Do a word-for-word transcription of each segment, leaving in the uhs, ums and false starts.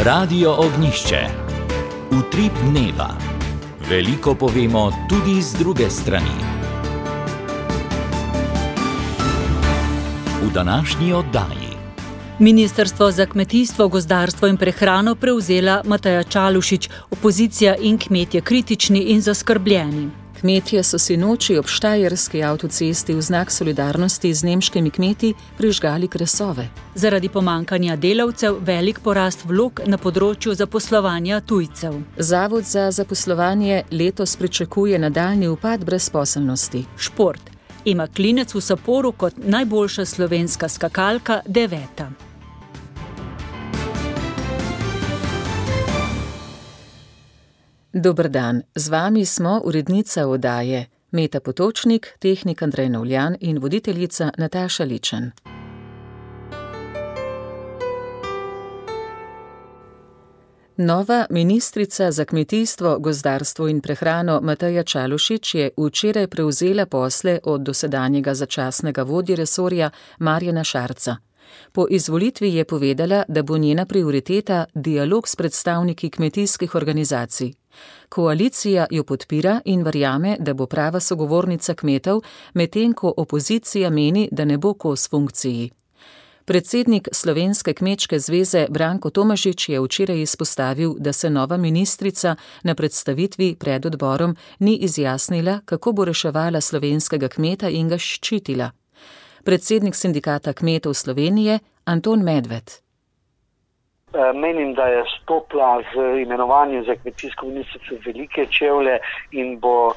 Radio Ognjišče. Utrip dneva. Veliko povemo tudi z druge strani. V današnji oddaji. Ministrstvo za kmetijstvo, gozdarstvo in prehrano prevzela Mateja Čalušić, opozicija in kmetje kritični in zaskrbljeni. Kmetje so sinoči ob štajerski avtocesti v znak solidarnosti z nemškimi kmeti prižgali kresove. Zaradi pomankanja delavcev velik porast vlog na področju zaposlovanja tujcev. Zavod za zaposlovanje letos pričakuje nadaljnji upad brezposelnosti. Šport. Ema Klinec v Saporu kot najboljša slovenska skakalka deveta. Dober dan, z vami smo urednica oddaje Meta Potočnik, tehnik Andrej Novljan in voditeljica Nataša Ličen. Nova ministrica za kmetijstvo, gozdarstvo in prehrano Mateja Čalušić je včeraj prevzela posle od dosedanjega začasnega vodje resorja Marjana Šarca. Po izvolitvi je povedala, da bo njena prioriteta dialog s predstavniki kmetijskih organizacij. Koalicija jo podpira in verjame, da bo prava sogovornica kmetov, medtem ko opozicija meni, da ne bo kos funkciji. Predsednik Slovenske kmečke zveze Branko Tomažič je včeraj izpostavil, da se nova ministrica na predstavitvi pred odborom ni izjasnila, kako bo reševala slovenskega kmeta in ga ščitila. Predsednik sindikata kmetov Slovenije Anton Medved. Menim, da je stopila z imenovanjem za kmetijsko ministrico velike čevlje in bo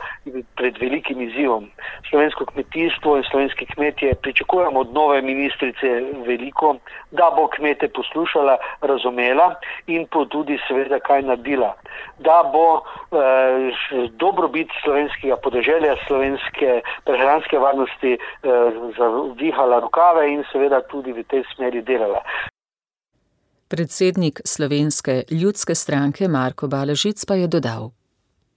pred velikim izzivom. Slovensko kmetijstvo in slovenski kmetje pričakujemo od nove ministrice veliko, da bo kmete poslušala, razumela in po tudi seveda kaj naredila. Da bo eh, dobrobit slovenskega podeželja, slovenske prehranske varnosti eh, zavihala rokave in seveda tudi v tej smeri delala. Predsednik Slovenske ljudske stranke Marko Balažic pa je dodal.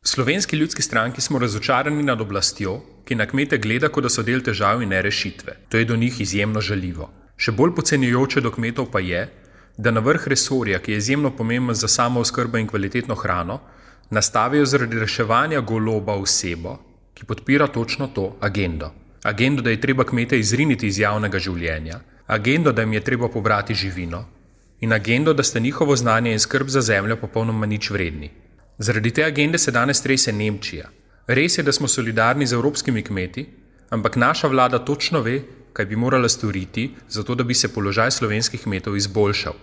V Slovenski ljudski stranki smo razočarani nad oblastjo, ki na kmete gleda, kot da so del težav in ne rešitve. To je do njih izjemno žaljivo. Še bolj podcenjujoče do kmetov pa je, da na vrh resorja, ki je izjemno pomemben za samooskrbo in kvalitetno hrano, nastavijo zaradi reševanja goloba osebo, ki podpira točno to agendo. Agendo, da je treba kmete izriniti iz javnega življenja, agendo, da jim je treba pobrati živino, in agendo, da sta njihovo znanje in skrb za zemljo popolnoma nič vredni. Zaradi te agende se danes trese Nemčija. Res je, da smo solidarni z evropskimi kmeti, ampak naša vlada točno ve, kaj bi morala storiti, zato da bi se položaj slovenskih kmetov izboljšal.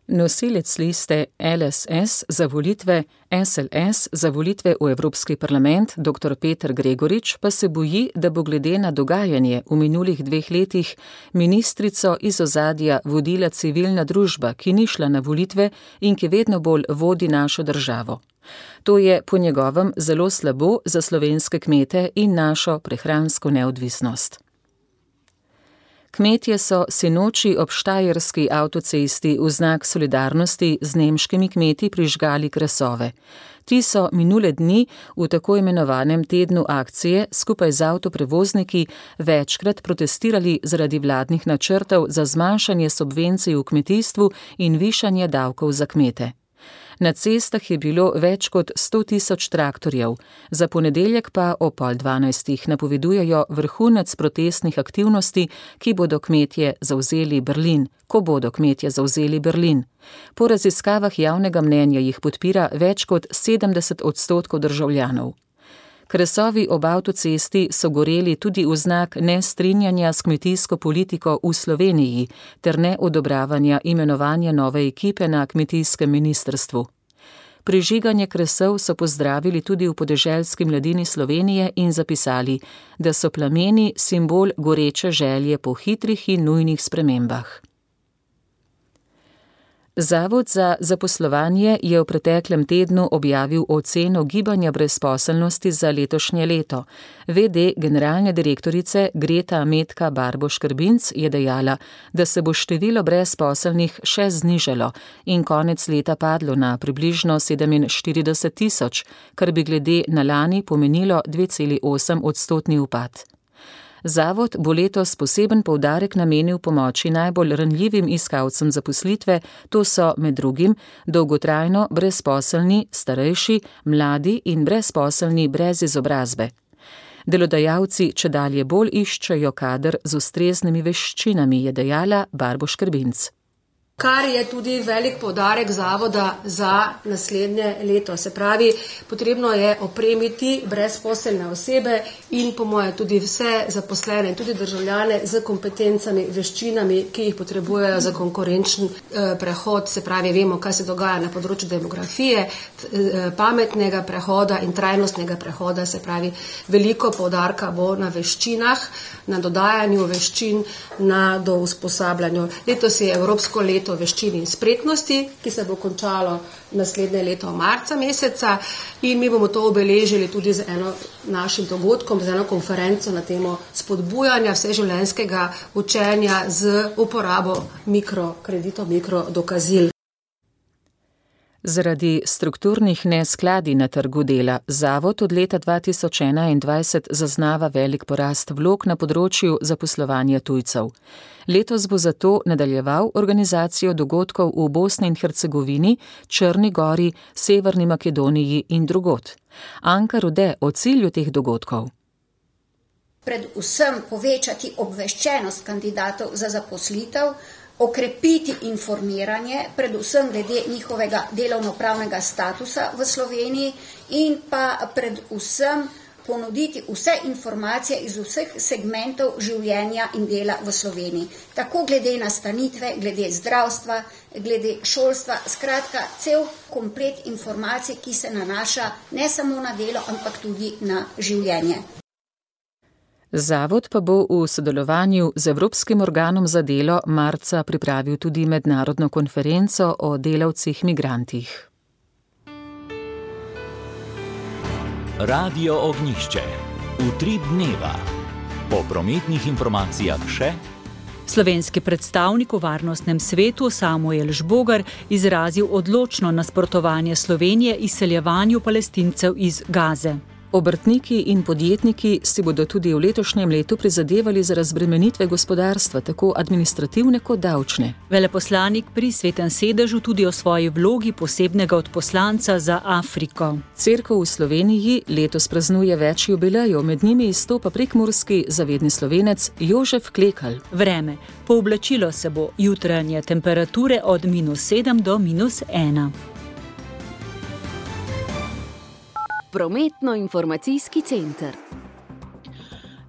Nosilec liste L S S za volitve S L S za volitve v Evropski parlament dr. Peter Gregorič pa se boji, da bo glede na dogajanje v minulih dveh letih ministrico iz ozadja vodila civilna družba, ki ni šla na volitve in ki vedno bolj vodi našo državo. To je po njegovem zelo slabo za slovenske kmete in našo prehransko neodvisnost. Kmetje so sinoči ob štajerski avtocesti v znak solidarnosti z nemškimi kmeti prižgali kresove. Ti so minule dni v tako imenovanem tednu akcije skupaj z avtoprevozniki večkrat protestirali zaradi vladnih načrtov za zmanjšanje subvencij v kmetijstvu in višanje davkov za kmete. Na cestah je bilo več kot sto tisoč traktorjev, za ponedeljek pa o pol dvanajstih napovedujejo vrhunec protestnih aktivnosti, ki bodo kmetje zavzeli Berlin, ko bodo kmetje zavzeli Berlin. Po raziskavah javnega mnenja jih podpira več kot sedemdeset odstotkov državljanov. Kresovi ob avtocesti so goreli tudi v znak nestrinjanja s kmetijsko politiko v Sloveniji ter neodobravanja imenovanja nove ekipe na kmetijskem ministrstvu. Prižiganje kresov so pozdravili tudi v Podeželski mladini Slovenije in zapisali, da so plameni simbol goreče želje po hitrih in nujnih spremembah. Zavod za zaposlovanje je v preteklem tednu objavil oceno gibanja brezposelnosti za letošnje leto. V D generalne direktorice Greta Metka Barbo-Škrbinc je dejala, da se bo število brezposelnih še znižalo in konec leta padlo na približno sedeminštirideset tisoč, kar bi glede na lani pomenilo dve celi osem odstotni upad. Zavod bo letos poseben poudarek namenil pomoči najbolj ranljivim iskalcem zaposlitve, to so med drugim dolgotrajno brezposelni, starejši, mladi in brezposelni brez izobrazbe. Delodajalci čedalje bolj iščejo kader z ustreznimi veščinami, je dejala Barbo Škrbinc. Kar je tudi velik poudarek zavoda za naslednje leto. Se pravi, potrebno je opremiti brezposelne osebe in po moje tudi vse zaposlene in tudi državljane z kompetencami, veščinami, ki jih potrebujejo za konkurenčen eh, prehod. Se pravi, vemo, kaj se dogaja na področju demografije, eh, pametnega prehoda in trajnostnega prehoda. Se pravi, veliko poudarka bo na veščinah, na dodajanju veščin, na do usposabljanju. Letos je Evropsko leto veščin in spretnosti, ki se bo končalo naslednje leto marca meseca in mi bomo to obeležili tudi z eno našim dogodkom, z eno konferenco na temo spodbujanja vseživljenjskega učenja z uporabo mikrokreditov, mikrodokazil. Zaradi strukturnih neskladij na trgu dela zavod od leta dva tisoč enaindvajset zaznava velik porast vlog na področju zaposlovanja tujcev. Letos bo zato nadaljeval organizacijo dogodkov v Bosni in Hercegovini, Črni Gori, Severni Makedoniji in drugod. Anka Rode o cilju teh dogodkov. Predvsem povečati obveščenost kandidatov za zaposlitev, okrepiti informiranje, predvsem glede njihovega delovnopravnega statusa v Sloveniji in pa predvsem ponuditi vse informacije iz vseh segmentov življenja in dela v Sloveniji. Tako glede nastanitve, glede zdravstva, glede šolstva, skratka cel komplet informacij, ki se nanaša ne samo na delo, ampak tudi na življenje. Zavod pa bo v sodelovanju z Evropskim organom za delo marca pripravil tudi mednarodno konferenco o delavcih migrantih. Radio Ognjišče. Utrip dneva. Po prometnih informacijah še. Slovenski predstavnik v Varnostnem svetu Samuel Žbogar izrazil odločno nasprotovanje Slovenije izseljevanju Palestincev iz Gaze. Obrtniki in podjetniki si bodo tudi v letošnjem letu prizadevali za razbremenitve gospodarstva, tako administrativne kot davčne. Veleposlanik pri Svetem sedežu tudi o svoji vlogi posebnega odposlanca za Afriko. Cerkev v Sloveniji letos praznuje več jubilejev, med njimi izstopa prekmurski zavedni Slovenec Jožef Klekl. Vreme. Pooblačilo se bo, jutranje temperature od minus sedem do minus ena. Prometno-informacijski center.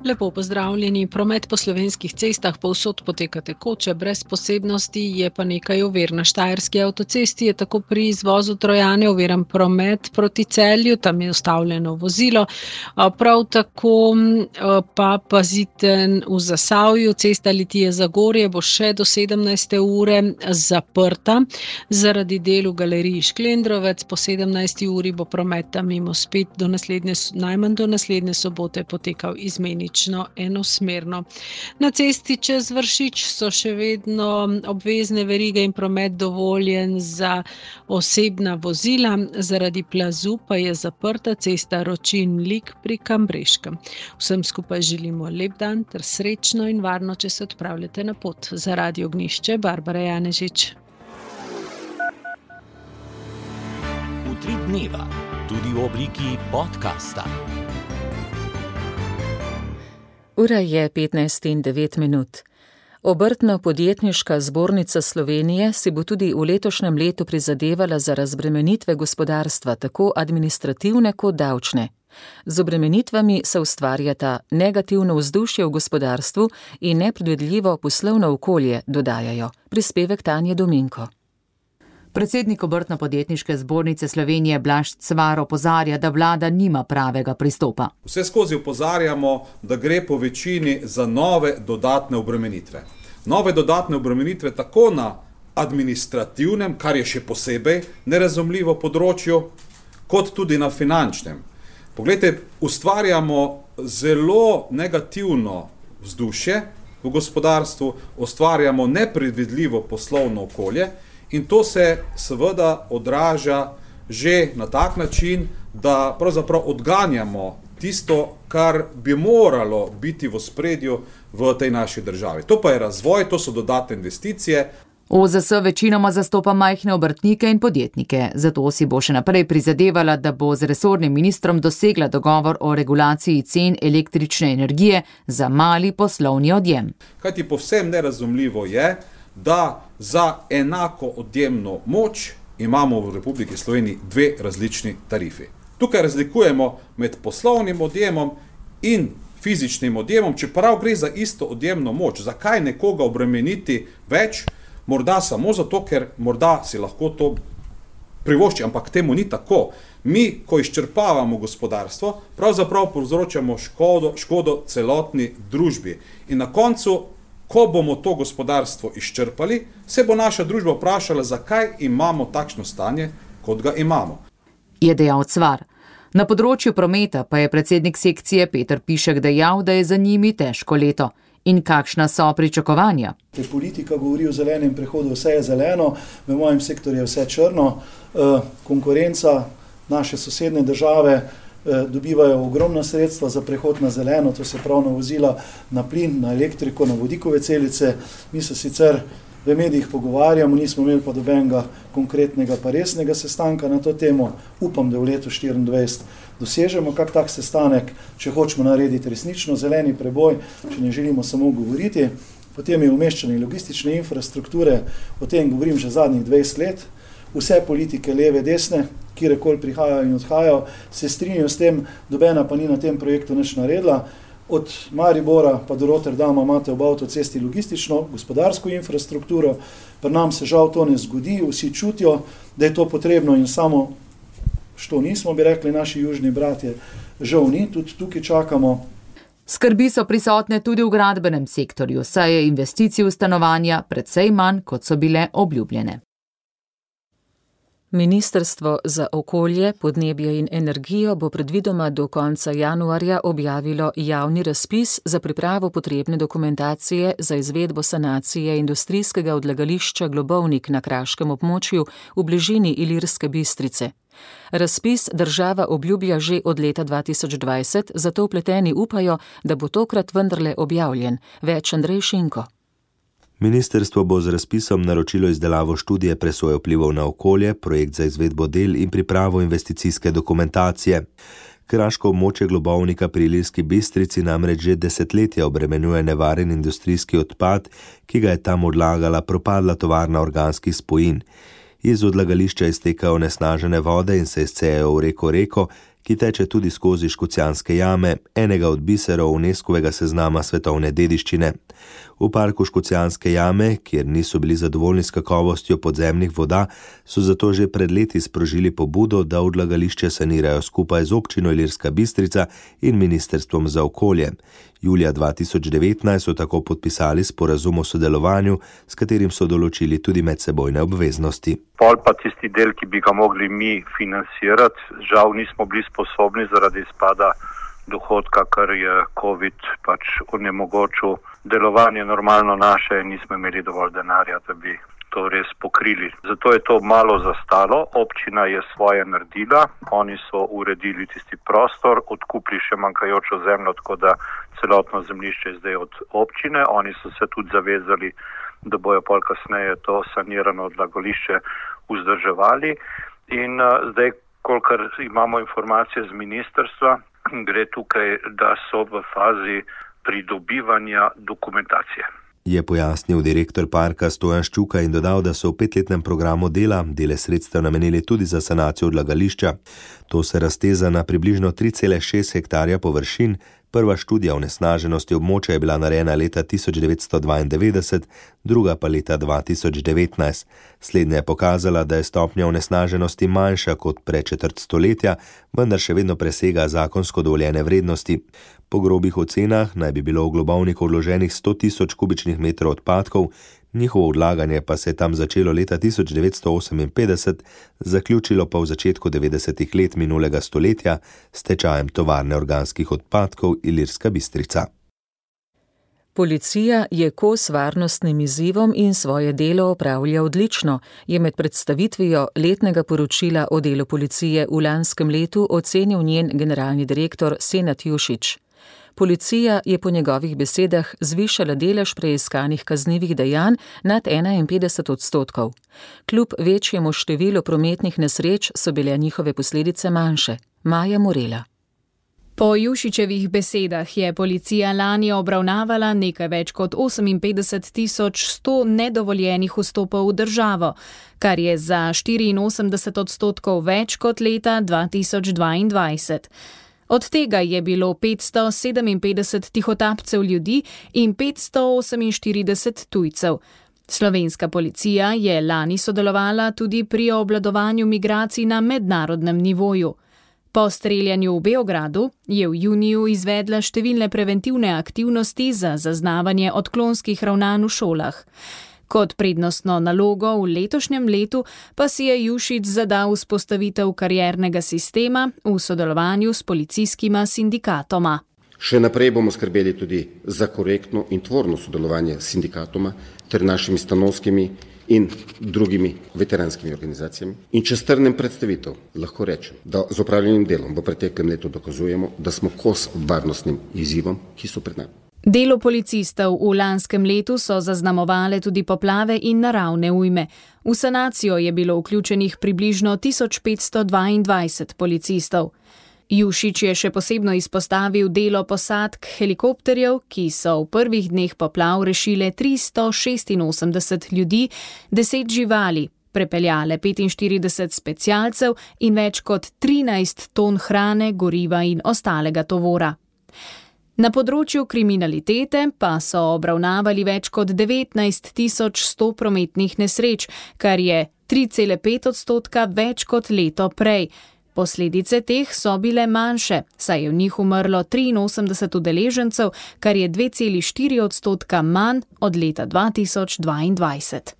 Lepo pozdravljeni. Promet po slovenskih cestah povsod poteka tekoče, brez posebnosti, je pa nekaj ovir. Na Štajerski avtocesti je tako pri izvozu Trojane oviran promet proti Celju, tam je ustavljeno vozilo. Prav tako pa pazite v Zasavju, cesta Litije-Zagorje bo še do sedemnajste ure zaprta. Zaradi del v galeriji Šklendrovec po sedemnajsti uri bo promet tam mimo spet do naslednje, najmanj do naslednje sobote potekal izmenično enosmerno. Na cesti čez Vršič so še vedno obvezne verige in promet dovoljen za osebna vozila, zaradi plazu pa je zaprta cesta Ročin-Lik pri Kambreškem. Vsem skupaj želimo lep dan ter srečno in varno, če se odpravljate na pot. Za Radio Ognjišče, Barbara Janežič. Utrip dneva, tudi v obliki podcasta. Ura je petnajst in devet minut. Obrtno-podjetniška zbornica Slovenije si bo tudi v letošnjem letu prizadevala za razbremenitve gospodarstva, tako administrativne kot davčne. Z obremenitvami se ustvarjata negativno vzdušje v gospodarstvu in nepredvidljivo poslovno okolje, dodajajo. Prispevek Tanje Dominko. Predsednik Obrtno-podjetniške zbornice Slovenije Blaž Cvar opozarja, da vlada nima pravega pristopa. Vse skozi opozarjamo, da gre po večini za nove dodatne obremenitve. Nove dodatne obremenitve tako na administrativnem, kar je še posebej nerazumljivo področju, kot tudi na finančnem. Poglejte, ustvarjamo zelo negativno vzdušje v gospodarstvu, ustvarjamo nepredvidljivo poslovno okolje, in to se seveda odraža že na tak način, da pravzaprav odganjamo tisto, kar bi moralo biti v ospredju v tej naši državi. To pa je razvoj, to so dodatne investicije. O Z S večinoma zastopa majhne obrtnike in podjetnike, zato si bo še naprej prizadevala, da bo z resornim ministrom dosegla dogovor o regulaciji cen električne energije za mali poslovni odjem. Kajti povsem nerazumljivo je, da za enako odjemno moč imamo v Republiki Sloveniji dve različni tarifi. Tukaj razlikujemo med poslovnim odjemom in fizičnim odjemom, čeprav gre za isto odjemno moč. Zakaj nekoga obremeniti več? Morda samo zato, ker morda si lahko to privošči, ampak temu ni tako. Mi, ko izčrpavamo gospodarstvo, pravzaprav povzročamo škodo, škodo celotni družbi. In na koncu, ko bomo to gospodarstvo izčrpali, se bo naša družba vprašala, zakaj imamo takšno stanje, kot ga imamo. Je dejal Cvar. Na področju prometa pa je predsednik sekcije Peter Pišek dejal, da je za njimi težko leto. In kakšna so pričakovanja? Politika govori o zelenem prehodu, vse je zeleno, v mojem sektorju je vse črno. Konkurenca, naše sosednje države dobivajo ogromna sredstva za prehod na zeleno, to se pravi na vozila, na plin, na elektriko, na vodikove celice. Mi se sicer v medijih pogovarjamo, nismo imeli pa dobenega konkretnega pa resnega sestanka na to temo. Upam, da v letu štiriindvajset dosežemo kak tak sestanek, če hočemo narediti resnično zeleni preboj, če ne želimo samo govoriti. Potem je umeščanje logistične infrastrukture, o tem govorim že zadnjih dvajset let. Vse politike, leve, desne, kjerekoli prihajajo in odhajajo, se strinjajo s tem, dobena pa ni na tem projektu nič naredila. Od Maribora pa do Rotterdama imate ob avtocesti logistično, gospodarsko infrastrukturo, pa nam se žal to ne zgodi, vsi čutijo, da je to potrebno in samo, što nismo, bi rekli naši južni bratje, žal ni, tudi tukaj čakamo. Skrbi so prisotne tudi v gradbenem sektorju, saj je investicij v stanovanja precej manj, kot so bile obljubljene. Ministrstvo za okolje, podnebje in energijo bo predvidoma do konca januarja objavilo javni razpis za pripravo potrebne dokumentacije za izvedbo sanacije industrijskega odlagališča Globovnik na kraškem območju v bližini Ilirske Bistrice. Razpis država obljublja že od leta dva tisoč dvajset, zato vpleteni upajo, da bo tokrat vendarle objavljen. Več Andrej Šinko. Ministrstvo bo z razpisom naročilo izdelavo študije presoje vplivov na okolje, projekt za izvedbo del in pripravo investicijske dokumentacije. Kraško območje Globovnika pri Ilirski Bistrici namreč že desetletja obremenjuje nevaren industrijski odpad, ki ga je tam odlagala propadla tovarna organskih spojin. Iz odlagališča iztekajo onesnažene vode in se izcejajo v reko Reko, ki teče tudi skozi Škocjanske jame, enega od biserov UNESCO-vega seznama svetovne dediščine. V parku Škocjanske jame, kjer niso bili zadovoljni s kakovostjo podzemnih voda, so zato že pred leti sprožili pobudo, da odlagališče sanirajo skupaj z občino Ilirska Bistrica in Ministrstvom za okolje. Julija dva tisoč devetnajst so tako podpisali sporazum o sodelovanju, s katerim so določili tudi medsebojne obveznosti. Pol pa tisti del, ki bi ga mogli mi financirati, žal nismo bili sposobni zaradi izpada dohodka, kar je COVID pač onemogočil delovanje normalno naše, nismo imeli dovolj denarja, da bi to res pokrili. Zato je to malo zastalo, občina je svoje naredila, oni so uredili tisti prostor, odkupili še manjkajočo zemljo, tako da celotno zemljišče je zdaj od občine, oni so se tudi zavezali, da bojo pol kasneje to sanirano odlagališče vzdrževali in uh, zdaj, kolikor imamo informacije z ministrstva, gre tukaj, da so v fazi pridobivanja dokumentacije. Je pojasnil direktor parka Stojan Ščuka in dodal, da so v petletnem programu dela dele sredstev namenili tudi za sanacijo odlagališča. To se razteza na približno tri cele šest hektarja površin. Prva študija onesnaženosti območja je bila narejena leta tisoč devetsto dvaindevetdeset, druga pa leta dva tisoč devetnajst. Slednja je pokazala, da je stopnja onesnaženosti manjša kot pred četrt stoletja, vendar še vedno presega zakonsko dovoljene vrednosti. Po grobih ocenah naj bi bilo v Globovniku odloženih sto tisoč kubičnih metrov odpadkov, njihovo odlaganje pa se je tam začelo leta tisoč devetsto oseminpetdeset, zaključilo pa v začetku devetdesetih let minulega stoletja s stečajem tovarne organskih odpadkov Ilirska Bistrica. Policija je kos varnostnim izzivom in svoje delo opravlja odlično, je med predstavitvijo letnega poročila o delu policije v lanskem letu ocenil njen generalni direktor Senad Jušić. Policija je po njegovih besedah zvišala delež preiskanih kaznivih dejanj nad enainpetdeset odstotkov. Kljub večjemu številu prometnih nesreč so bile njihove posledice manjše. Maja Morela. Po Jušićevih besedah je policija lani obravnavala nekaj več kot oseminpetdeset tisoč sto nedovoljenih vstopov v državo, kar je za štiriinosemdeset odstotkov več kot leta dva tisoč dvaindvajset. Od tega je bilo petsto sedeminpetdeset tihotapcev ljudi in petsto oseminštirideset tujcev. Slovenska policija je lani sodelovala tudi pri obvladovanju migracij na mednarodnem nivoju. Po streljanju v Beogradu je v juniju izvedla številne preventivne aktivnosti za zaznavanje odklonskih ravnanj v šolah. Kot prednostno nalogo v letošnjem letu pa si je Jušić zadal vzpostavitev kariernega sistema v sodelovanju s policijskima sindikatoma. Še naprej bomo skrbeli tudi za korektno in tvorno sodelovanje s sindikatoma ter našimi stanovskimi in drugimi veteranskimi organizacijami. In če strnem predstavitev, lahko rečem, da z opravljenim delom v preteklem letu dokazujemo, da smo kos varnostnim izzivom, ki so pred nami. Delo policistov v lanskem letu so zaznamovale tudi poplave in naravne ujme. V sanacijo je bilo vključenih približno tisoč petsto dvaindvajset policistov. Jušić je še posebno izpostavil delo posadk helikopterjev, ki so v prvih dneh poplav rešile tristo šestinosemdeset ljudi, deset živali, prepeljale petinštirideset specialcev in več kot trinajst ton hrane, goriva in ostalega tovora. Na področju kriminalitete pa so obravnavali več kot devetnajst tisoč sto prometnih nesreč, kar je tri cele pet odstotka več kot leto prej. Posledice teh so bile manjše, saj je v njih umrlo triinosemdeset udeležencev, kar je dve cele štiri odstotka manj od leta dva tisoč dvaindvajset.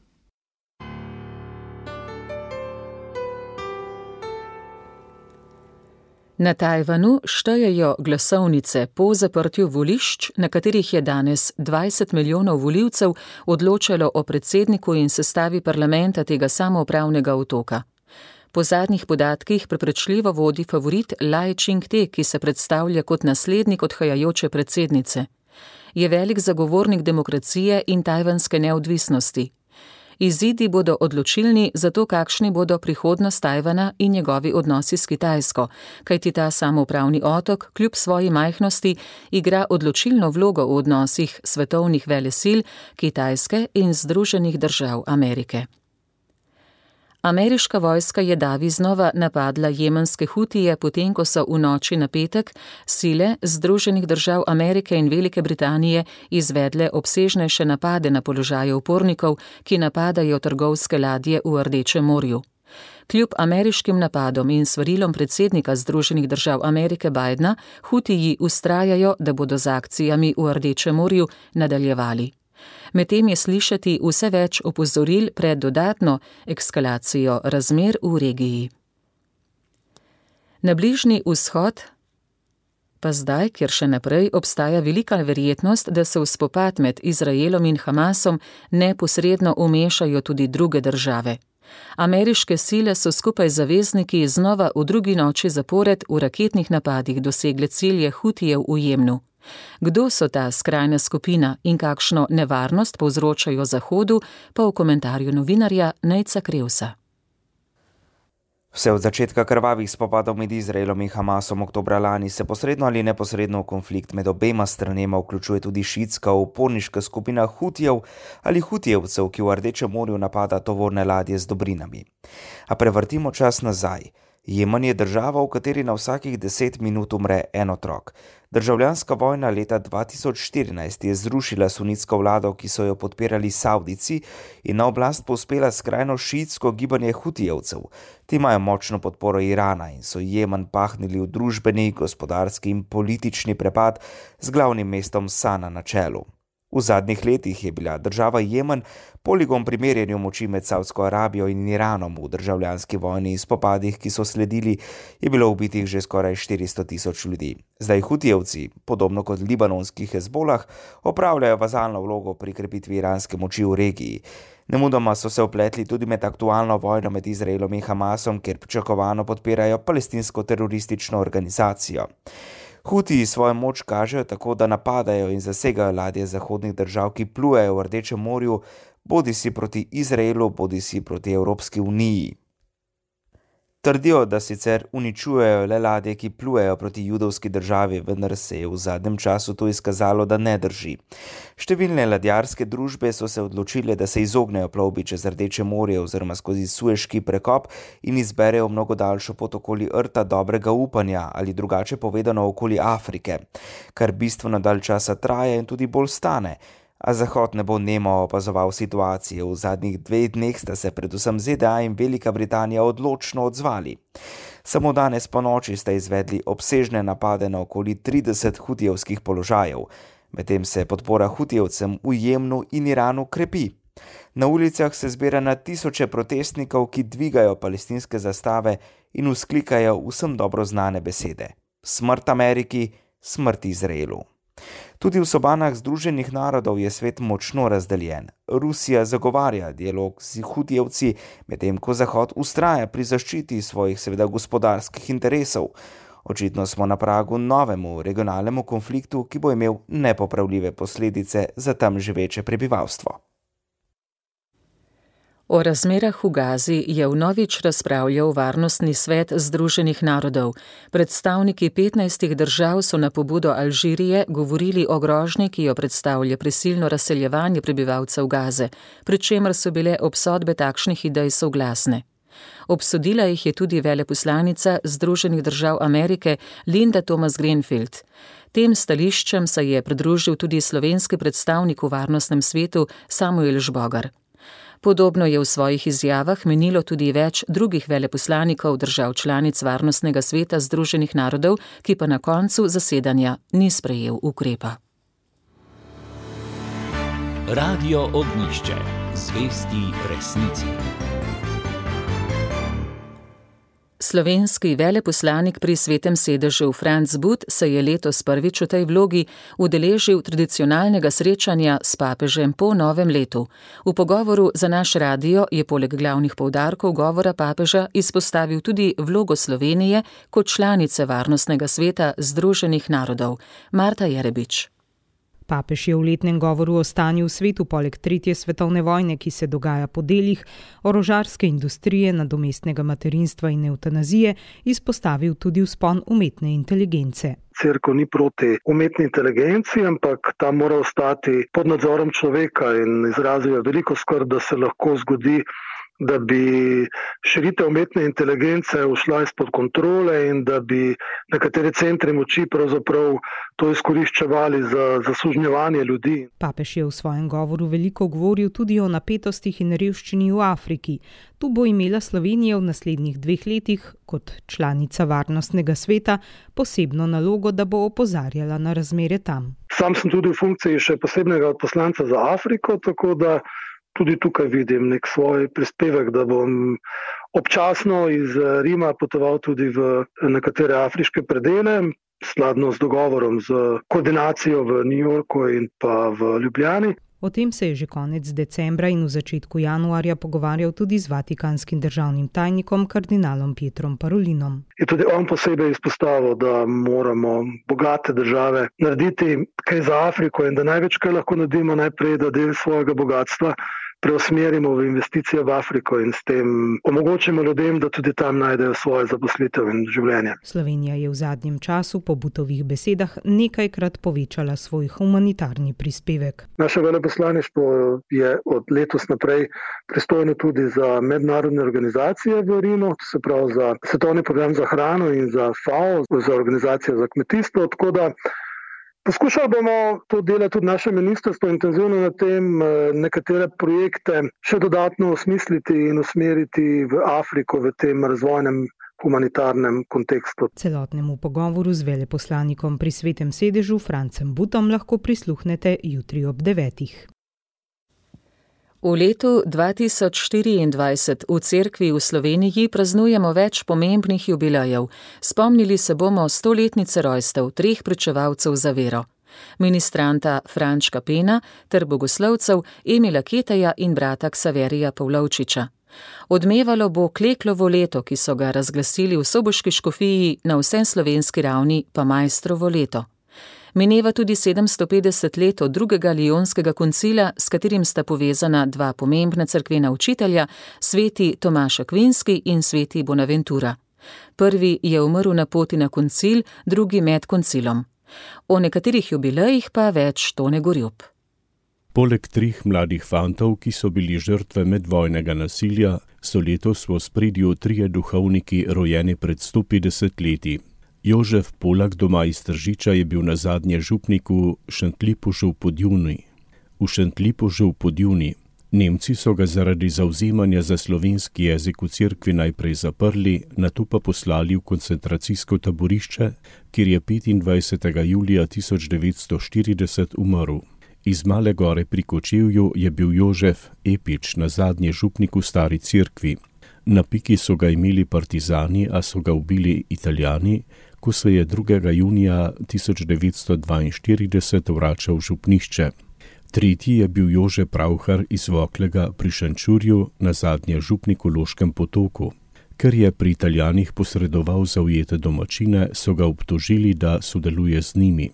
Na Tajvanu štejejo glasovnice po zaprtju volišč, na katerih je danes dvajset milijonov volivcev odločalo o predsedniku in sestavi parlamenta tega samoupravnega otoka. Po zadnjih podatkih prepričljivo vodi favorit Lai Ching-te, ki se predstavlja kot naslednik odhajajoče predsednice. Je velik zagovornik demokracije in tajvanske neodvisnosti. Izidi bodo odločilni za to, kakšni bodo prihodnost Tajvana in njegovi odnosi s Kitajsko, kajti ta samoupravni otok, kljub svoji majhnosti, igra odločilno vlogo v odnosih svetovnih velesil Kitajske in Združenih držav Amerike. Ameriška vojska je davi znova napadla jemenske Hutije, potem ko so v noči na petek sile Združenih držav Amerike in Velike Britanije izvedle obsežnejše napade na položaje upornikov, ki napadajo trgovske ladje v Rdečem morju. Kljub ameriškim napadom in svarilom predsednika Združenih držav Amerike Bidena, Hutiji vztrajajo, da bodo z akcijami v Rdečem morju nadaljevali. Medtem je slišati vse več opozoril pred dodatno eskalacijo razmer v regiji. Na Bližnji vzhod pa zdaj, kjer še naprej obstaja velika verjetnost, da se v spopad med Izraelom in Hamasom neposredno vmešajo tudi druge države. Ameriške sile so skupaj z zavezniki znova v drugi noči zapored v raketnih napadih dosegle cilje Hutijev v Jemnu. Kdo so ta skrajna skupina in kakšno nevarnost povzročajo Zahodu, pa v komentarju novinarja Nejca Krevsa. Vse od začetka krvavih spopadov med Izraelom in Hamasom oktobra lani se posredno ali neposredno v konflikt med obema stranema vključuje tudi šiitska uporniška skupina Hutijev ali Hutijevcev, ki v Rdečem morju napada tovorne ladje z dobrinami. A prevrtimo čas nazaj. Jemen je država, v kateri na vsakih deset minut umre en otrok. Državljanska vojna leta dva tisoč štirinajst je zrušila sunitsko vlado, ki so jo podpirali Savdici, in na oblast povzpela skrajno šiitsko gibanje Hutijevcev. Ti imajo močno podporo Irana in so Jemen pahnili v družbeni, gospodarski in politični prepad z glavnim mestom Sana na čelu. V zadnjih letih je bila država Jemen poligon pri merjenju moči med Savdsko Arabijo in Iranom. V državljanski vojni in spopadih, ki so sledili, je bilo ubitih že skoraj štiristo tisoč ljudi. Zdaj Hutijevci, podobno kot libanonski Hezbolah, opravljajo vazalno vlogo pri krepitvi iranske moči v regiji. Nemudoma so se vpletli tudi med aktualno vojno med Izraelom in Hamasom, kjer pričakovano podpirajo palestinsko teroristično organizacijo. Hutiji svojo moč kažejo tako, da napadajo in zasegajo ladje zahodnih držav, ki plujejo v Rdečem morju, bodisi proti Izraelu, bodisi proti Evropski uniji. Trdijo, da sicer uničujejo le ladje, ki plujejo proti judovski državi, vendar se je v zadnjem času to izkazalo, da ne drži. Številne ladjarske družbe so se odločile, da se izognejo plovbi čez Rdeče morje oziroma skozi Sueški prekop in izberejo mnogo daljšo pot okoli rta dobrega upanja ali drugače povedano okoli Afrike, kar bistveno dalj časa traja in tudi bolj stane. A Zahod ne bo nemo opazoval situacije. V zadnjih dveh dneh sta se predvsem Z D A in Velika Britanija odločno odzvali. Samo danes po noči sta izvedli obsežne napade na okoli trideset hutijevskih položajev, medtem se podpora hutijevcem v Jemnu in Iranu krepi. Na ulicah se zbira na tisoče protestnikov, ki dvigajo palestinske zastave in vzklikajo vsem dobro znane besede: smrt Ameriki, smrt Izraelu. Tudi v sobanah Združenih narodov je svet močno razdeljen. Rusija zagovarja dialog z Hutijevci, medtem ko Zahod vztraja pri zaščiti svojih seveda gospodarskih interesov. Očitno smo na pragu novemu regionalnemu konfliktu, ki bo imel nepopravljive posledice za tam živeče prebivalstvo. O razmerah v Gazi je vnovič razpravljal Varnostni svet Združenih narodov. Predstavniki petnajstih držav so na pobudo Alžirije govorili o grožnji, ki jo predstavlja prisilno razseljevanje prebivalcev Gaze, pri čemer so bile obsodbe takšnih idej soglasne. Obsodila jih je tudi veleposlanica Združenih držav Amerike Linda Thomas-Greenfield. Tem stališčem se je pridružil tudi slovenski predstavnik v Varnostnem svetu Samuel Žbogar. Podobno je v svojih izjavah menilo tudi več drugih veleposlanikov držav članic Varnostnega sveta Združenih narodov, ki pa na koncu zasedanja ni sprejel ukrepa. Radio Ognjišče. Zvesti resnici. Slovenski veleposlanik pri Svetem sedežu Franc But se je letos prvič v tej vlogi udeležil tradicionalnega srečanja s papežem po novem letu. V pogovoru za naš radio je poleg glavnih poudarkov govora papeža izpostavil tudi vlogo Slovenije kot članice Varnostnega sveta Združenih narodov. Marta Jerebič. Papež je v letnem govoru o stanju v svetu poleg tretje svetovne vojne, ki se dogaja po delih, orožarske industrije, nadomestnega materinstva in evtanazije, izpostavil tudi vzpon umetne inteligence. Cerkev ni proti umetni inteligenci, ampak ta mora ostati pod nadzorom človeka in izrazil veliko skrb, da se lahko zgodi, da bi širitev umetne inteligence ušla izpod kontrole in da bi nekateri centri moči pravzaprav to izkoriščevali za zasužnjevanje ljudi. Papež je v svojem govoru veliko govoril tudi o napetostih in revščini v Afriki. Tu bo imela Slovenija v naslednjih dveh letih kot članica Varnostnega sveta posebno nalogo, da bo opozarjala na razmere tam. Sam sem tudi v funkciji še posebnega odposlanca za Afriko, tako da tudi tukaj vidim nek svoj prispevek, da bom občasno iz Rima potoval tudi v nekatere afriške predele, skladno z dogovorom z koordinacijo v New Yorku in pa v Ljubljani. O tem se je že konec decembra in v začetku januarja pogovarjal tudi z vatikanskim državnim tajnikom kardinalom Pietrom Parolinom. Je tudi on posebej izpostavil, da moramo bogate države narediti kaj za Afriko in da največ, kaj lahko naredimo najprej, da del svojega bogatstva preusmerimo v investicije v Afriko in s tem omogočimo ljudem, da tudi tam najdejo svoje zaposlitev in življenje. Slovenija je v zadnjem času po Butovih besedah nekajkrat povečala svoj humanitarni prispevek. Naše veleposlaništvo je od letos naprej pristojno tudi za mednarodne organizacije v Rimu, se pravi za Svetovni program za hrano in za F A O, za organizacijo za kmetijstvo, tako da poskušali bomo to delati tudi naše ministrstvo intenzivno na tem, nekatere projekte še dodatno osmisliti in usmeriti v Afriko v tem razvojnem humanitarnem kontekstu. Celotnemu pogovoru z veleposlanikom pri Svetem sedežu Francem Butom lahko prisluhnete jutri ob devetih. V letu dva tisoč štiriindvajset v cerkvi v Sloveniji praznujemo več pomembnih jubilejev. Spomnili se bomo stoletnice rojstev treh pričevalcev za vero. Ministranta Frančka Pena ter bogoslovcev Emila Keteja in brata Ksaverija Pavlovčiča. Odmevalo bo Kleklovo leto, ki so ga razglasili v soboški škofiji, na vseslovenski ravni pa Maistrovo leto. Mineva tudi sedemsto petdeset let od drugega Lionskega koncila, s katerim sta povezana dva pomembna cerkvena učitelja, sveti Tomaž Akvinski in sveti Bonaventura. Prvi je umrl na poti na koncil, drugi med koncilom. O nekaterih jubilejih pa več Tone Gorjup. Poleg treh mladih fantov, ki so bili žrtve medvojnega nasilja, so letos v ospredju trije duhovniki rojeni pred sto petdeset leti. Jožef Polak doma iz Tržiča je bil nazadnje župnik v Šentlipužu v Podjuni. V Šentlipužu v Podjuni. Nemci so ga zaradi zavzemanja za slovenski jezik v cerkvi najprej zaprli, nato pa poslali v koncentracijsko taborišče, kjer je petindvajsetega julija tisoč devetsto štirideset umrl. Iz Male Gore pri Kočevju je bil Jožef Epič nazadnje župnik v stari cerkvi. Na piki so ga imeli partizani, a so ga ubili Italijani, ko se je drugega junija tisoč devetsto dvainštirideset vračal v župnišče. Tretji je bil Jože Pravhar iz Voklega pri Šenčurju, nazadnje župnik v Loškem Potoku. Ker je pri Italijanih posredoval za ujete domačine, so ga obtožili, da sodeluje z njimi.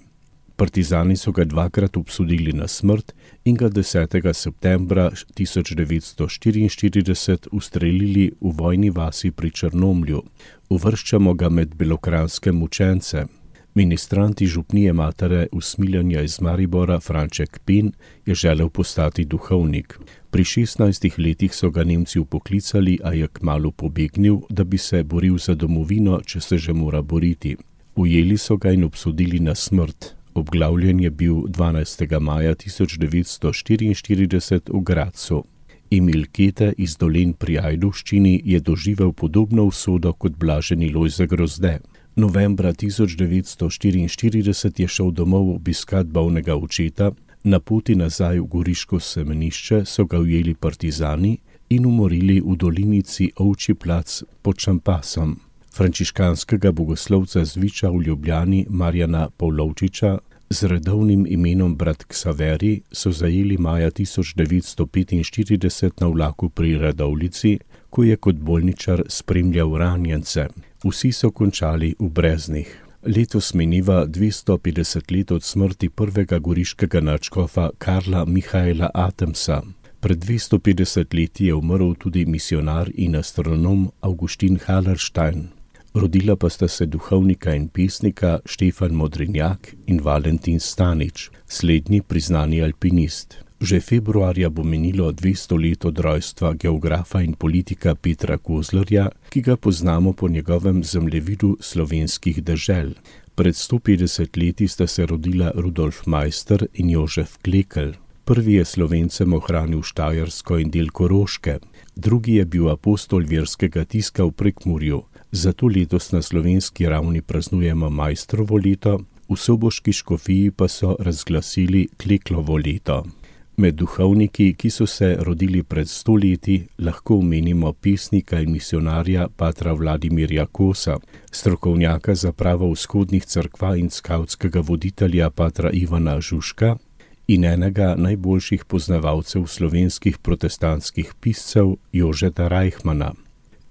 Partizani so ga dvakrat obsodili na smrt in ga desetega septembra tisoč devetsto štiriinštirideset ustrelili v vojni vasi pri Črnomlju. Uvrščamo ga med belokranjske mučence. Ministranti župnije matere usmiljanja iz Maribora Franček Pen je želel postati duhovnik. Pri šestnajstih letih so ga Nemci upoklicali, a je kmalu pobegnil, da bi se boril za domovino, če se že mora boriti. Ujeli so ga in obsodili na smrt. Obglavljen je bil dvanajstega maja tisoč devetsto štiriinštirideset v Gradcu. Emil Kete iz Dolen pri Ajdovščini je doživel podobno usodo kot blaženi Lojze Grozde. Novembra tisoč devetsto štiriinštirideset je šel domov obiskat bolnega očeta, na poti nazaj v Goriško semenišče so ga ujeli partizani in umorili v dolinici Ovčji plac pod Čampasom. Frančiškanskega bogoslovca z Viča v Ljubljani Marjana Pavlovčiča z redovnim imenom brat Ksaveri so zajeli maja tisoč devetsto petinštirideset na vlaku pri Radovljici, ko je kot bolničar spremljal ranjence. Vsi so končali v breznih. Letos mineva dvesto petdeset let od smrti prvega goriškega nadškofa Karla Mihaela Atemsa. Pred dvesto petdeset leti je umrl tudi misionar in astronom Augustin Hallerstein. Rodila pa sta se duhovnika in pesnika Štefan Modrinjak in Valentin Stanič, slednji priznani alpinist. Že februarja bo minilo dvesto let od rojstva geografa in politika Petra Kozlerja, ki ga poznamo po njegovem zemljevidu slovenskih dežel. Pred sto petdeset leti sta se rodila Rudolf Meister in Jožef Klekel. Prvi je Slovencem ohranil Štajersko in del Koroške, drugi je bil apostol verskega tiska v Prekmurju. Zato letos na slovenski ravni praznujemo Maistrovo leto, v soboški škofiji pa so razglasili Kleklovo leto. Med duhovniki, ki so se rodili pred sto leti, lahko omenimo pesnika in misionarja patra Vladimirja Kosa, strokovnjaka za pravo vzhodnih cerkva in skavtskega voditelja patra Ivana Žuška in enega najboljših poznavalcev slovenskih protestantskih piscev Jožeta Reichmana.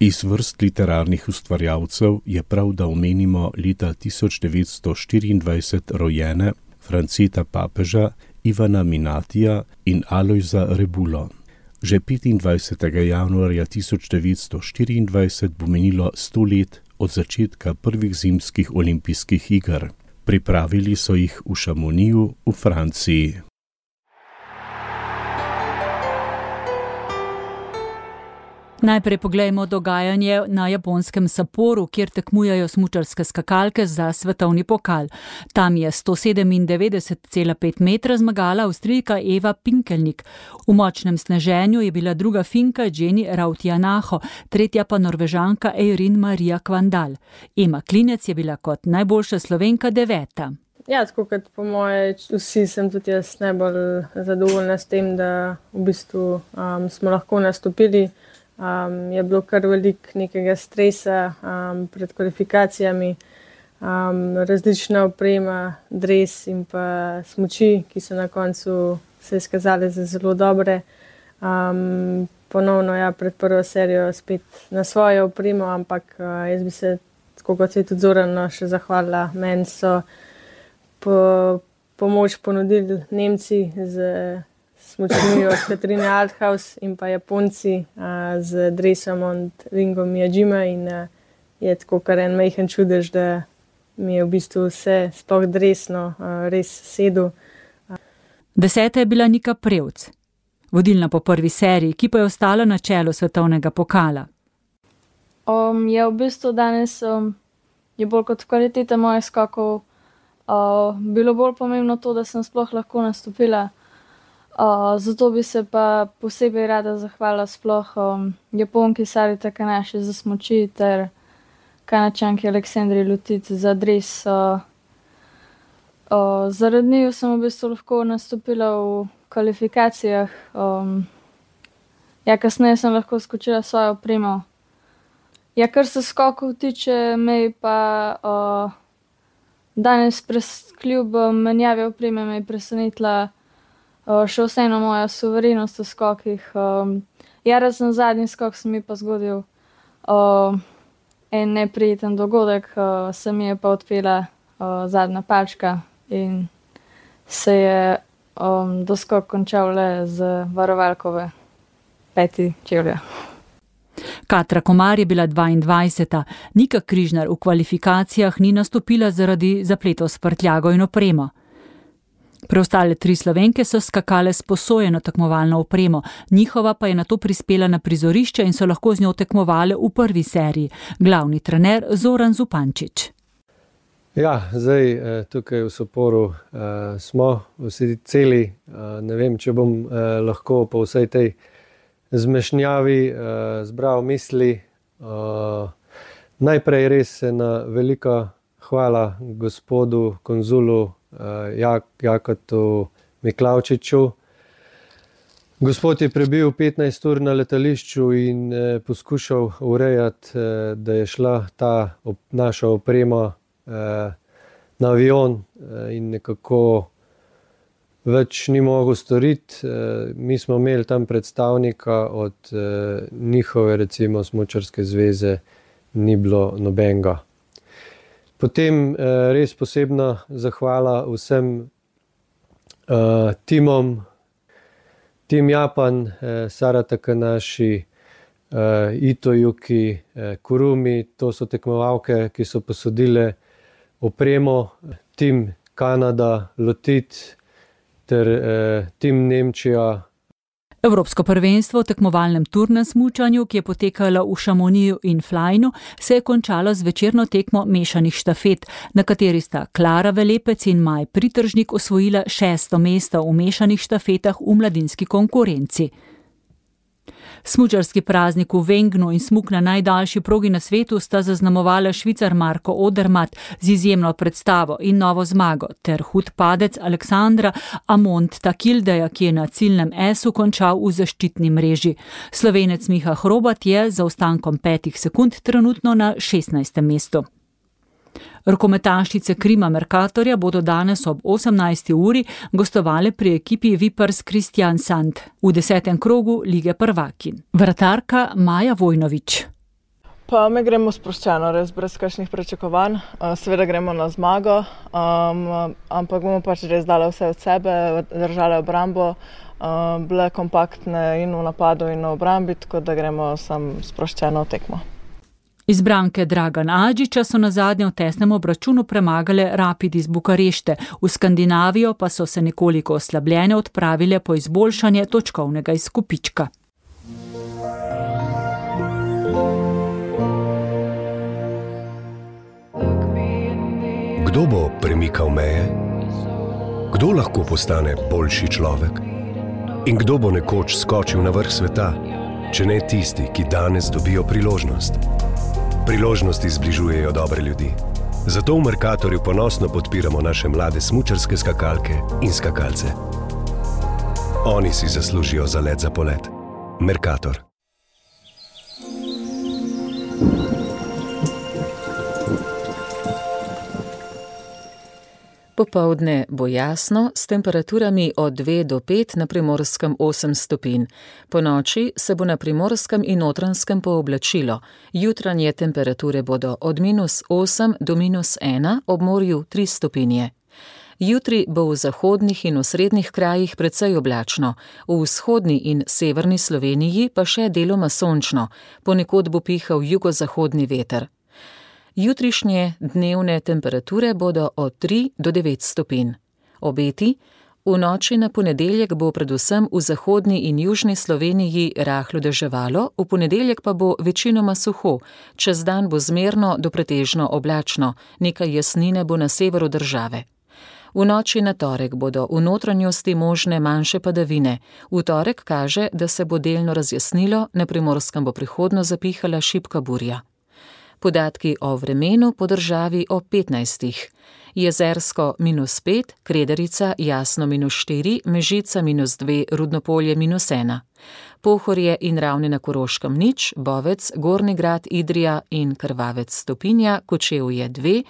Iz vrst literarnih ustvarjalcev je prav, da omenimo leta tisoč devetsto štiriindvajset rojene Franceta Papeža, Ivana Minatija in Alojza Rebulo. Že petindvajsetega januarja tisoč devetsto štiriindvajset bo minilo sto let od začetka prvih zimskih olimpijskih iger. Pripravili so jih v Chamonixu v Franciji. Najprej poglejmo dogajanje na japonskem Sapporu, kjer tekmujejo smučarske skakalke za svetovni pokal. Tam je sto sedemindevetdeset celih pet metra zmagala Avstrijka Eva Pinkelnik. V močnem sneženju je bila druga Finka Jenny Rautianaho, tretja pa Norvežanka Eirin Maria Kvandal. Ema Klinec je bila kot najboljša Slovenka deveta. Ja, tako kot po moje, vsi sem tudi jaz najbolj zadovoljna s tem, da v bistvu um, smo lahko nastopili. Um, je bilo kar veliko nekega stresa um, pred kvalifikacijami, um, različna oprema, dres in pa smuči, ki so na koncu se izkazali za zelo dobre. Um, ponovno ja, pred prvo serijo spet na svojo opremo, ampak uh, jaz bi se, tako kot se je tudi Zorano še zahvalila, meni so po, pomoč ponudili Nemci z smučmi od Katrine Althaus in pa Japonci a, z dresom od Ringo Miyajima in a, je tako kar en majhen čudež, da mi je v bistvu vse sploh dresno a, res sedel. Deseta je bila Nika Prevc, vodilna po prvi seriji, ki pa je ostala na čelu svetovnega pokala. Um, je v bistvu danes um, je bolj kot kvaliteta mojih skokov uh, bilo bolj pomembno to, da sem sploh lahko nastopila. Uh, zato bi se pa posebej rada zahvalila sploh um, Japonki Sari Takanashi za smuči ter Kanačanki Aleksandri Lutic za dres. Uh, uh, zaradi njiju sem v bistvu lahko nastopila v kvalifikacijah. Um, ja, kasneje sem lahko skočila svojo opremo. Ja, kar se skokov tiče, me pa uh, danes pres, kljub menjavi opreme me je presenetila Uh, še vseeno moja suverenost v skokih. Um, ja, razen zadnji skok se mi pa zgodil uh, en neprijeten dogodek, uh, se mi je pa odpela uh, zadnja palčka in se je um, doskok končal le z varovalkove peti čevlja. Katra Komar je bila dvaindvajseta, Nika Križnar v kvalifikacijah ni nastopila zaradi zapletov s prtljago in opremo. Preostale tri Slovenke so skakale s posojeno tekmovalno opremo, njihova pa je nato prispela na prizorišče in so lahko z njo tekmovale v prvi seriji. Glavni trener Zoran Zupančič. Ja, zdaj tukaj v Sapporu uh, smo vsi celi, uh, ne vem, če bom uh, lahko po vsej tej zmešnjavi uh, zbral misli. Uh, najprej res ena velika hvala gospodu konzulu Uh, Jak, Jakotu Miklavčiču. Gospod je prebil petnajst ur na letališču in eh, poskušal urejati, eh, da je šla ta op, naša oprema eh, na avion eh, in nekako več ni mogel storiti. Eh, mi smo imeli tam predstavnika od eh, njihove, recimo, smučarske zveze, ni bilo nobenega. Potem eh, res posebna zahvala vsem eh, timom, Tim Japan, eh, Sara Takanashi, eh, Ito Yuki, eh, Kurumi, to so tekmovalke, ki so posodile opremo, Tim Kanada, Lotit ter eh, Tim Nemčija. Evropsko prvenstvo v tekmovalnem turnem smučanju, ki je potekalo v Šamoniju in Flajnu, se je končalo z večerno tekmo mešanih štafet, na kateri sta Klara Velepec in Maj Pritržnik osvojila šesto mesto v mešanih štafetah v mladinski konkurenci. Smučarski praznik v Wengnu in smuk na najdaljši progi na svetu sta zaznamovala Švicar Marko Odermatt z izjemno predstavo in novo zmago ter hud padec Aleksandra Amont Takildeja, ki je na ciljnem esu končal v zaščitni mreži. Slovenec Miha Hrobat je za zaostankom petih sekund trenutno na šestnajstem mestu. Rokometašice Krima Mercatorja bodo danes ob osemnajsti uri gostovale pri ekipi Vipers Kristiansand v desetem krogu Lige prvakinj. Vratarka Maja Vojnović. Pa mi gremo sproščeno, res brez kakšnih pričakovanj. Seveda gremo na zmago, um, ampak bomo pač res dali vse od sebe, držali obrambo, um, bile kompaktne in v napadu in v obrambi, tako da gremo sam sproščeno tekmo. Izbranke Dragan Adžiča so na zadnje v tesnem obračunu premagale Rapid iz Bukarešte, v Skandinavijo pa so se nekoliko oslabljene odpravile po izboljšanje točkovnega izkupička. Kdo bo premikal meje? Kdo lahko postane boljši človek? In kdo bo nekoč skočil na vrh sveta, če ne tisti, ki danes dobijo priložnost? Priložnosti zbližujejo dobre ljudi. Zato v Mercatorju ponosno podpiramo naše mlade smučarske skakalke in skakalce. Oni si zaslužijo zalet za polet. Mercator. Popoldne bo jasno, s temperaturami od dve do pet, na Primorskem osem stopinj. Po noči se bo na Primorskem in Notranjskem pooblačilo. Jutranje temperature bodo od minus osem do minus ena, ob morju tri stopinje. Jutri bo v zahodnih in osrednjih krajih precej oblačno, v vzhodni in severni Sloveniji pa še deloma sončno, ponekod bo pihal jugozahodni veter. Jutrišnje dnevne temperature bodo od tri do devet stopinj. Obeti: v noči na ponedeljek bo predvsem v zahodni in južni Sloveniji rahlo deževalo, v ponedeljek pa bo večinoma suho, čez dan bo zmerno do pretežno oblačno, nekaj jasnine bo na severu države. V noči na torek bodo v notranjosti možne manjše padavine. V torek kaže, da se bo delno razjasnilo, na Primorskem bo prihodno zapihala šibka burja. Podatki o vremenu po državi o petnajstih. Jezersko minus pet, Kredarica jasno minus štiri, Mežica minus dve, Rudnopolje minus ena. Pohorje in Ravne na Koroškem nič, Bovec, Gornji Grad, Idrija in Krvavec stopinja, Kočevje dve,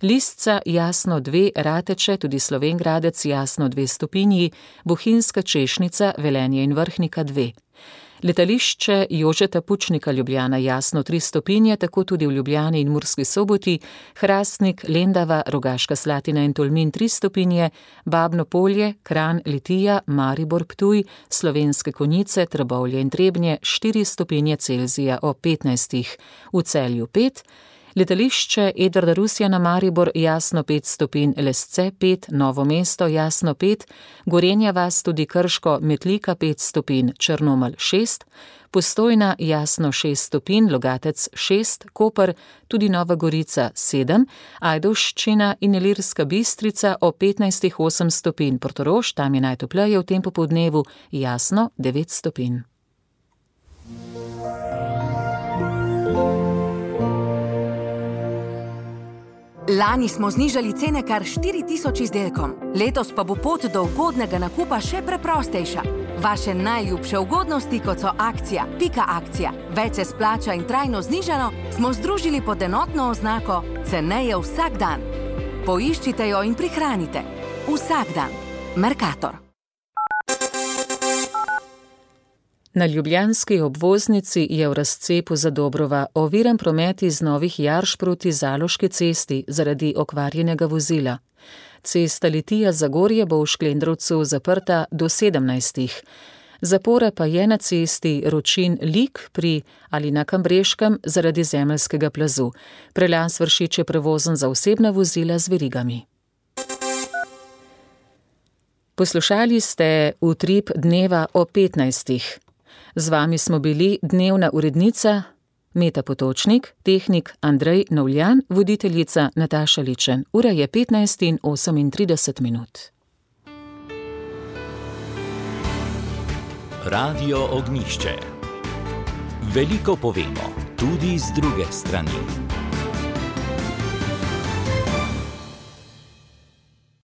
Listca jasno dve, Rateče, tudi Slovenj Gradec jasno dve stopinji, Bohinjska Češnica, Velenje in Vrhnika dve. Letališče Jožeta Pučnika Ljubljana jasno tri stopinje, tako tudi v Ljubljani in Murski Soboti, Hrastnik, Lendava, Rogaška Slatina in Tolmin tri stopinje, Babno Polje, Kranj, Litija, Maribor, Ptuj, Slovenske Konjice, Trbovlje in Trebnje štiri stopinje Celzija o petnajstih, v Celju pet, letališče Edvarda Rusjana Maribor jasno pet stopinj, Lesce pet, Novo mesto jasno pet, Gorenja vas, tudi Krško, Metlika pet stopinj, Črnomelj šest, Postojna jasno šest stopinj, Logatec šest, Koper, tudi Nova Gorica sedem, Ajdovščina in Ilirska Bistrica o petnajstih osem stopinj, Portorož, tam je najtopleje v tem popoldnevu, jasno devet stopinj. Lani smo znižali cene kar štiri tisoč izdelkom, letos pa bo pot do ugodnega nakupa še preprostejša. Vaše najljubše ugodnosti, kot so akcija, pika akcija, več se splača in trajno znižano, smo združili pod enotno oznako ceneje vsak dan. Poiščite jo in prihranite. Vsak dan. Mercator. Na ljubljanski obvoznici je v razcepu Zadobrova oviran promet iz Novih Jarš proti Zaloški cesti zaradi okvarjenega vozila. Cesta Litija-Zagorje bo v Šklendrovcu zaprta do sedemnajstih. Zapora pa je na cesti Ročin-Lik pri ali na Kambreškem zaradi zemeljskega plazu. Prelaz Vršič je prevozen za osebna vozila z verigami. Poslušali ste Utrip dneva o petnajstih. Z vami smo bili dnevna urednica Meta Potočnik, tehnik Andrej Novljan, voditeljica Nataša Ličen. Ura je petnajst in osemintrideset minut. Radio Ognjišče. Veliko povemo, tudi z druge strani.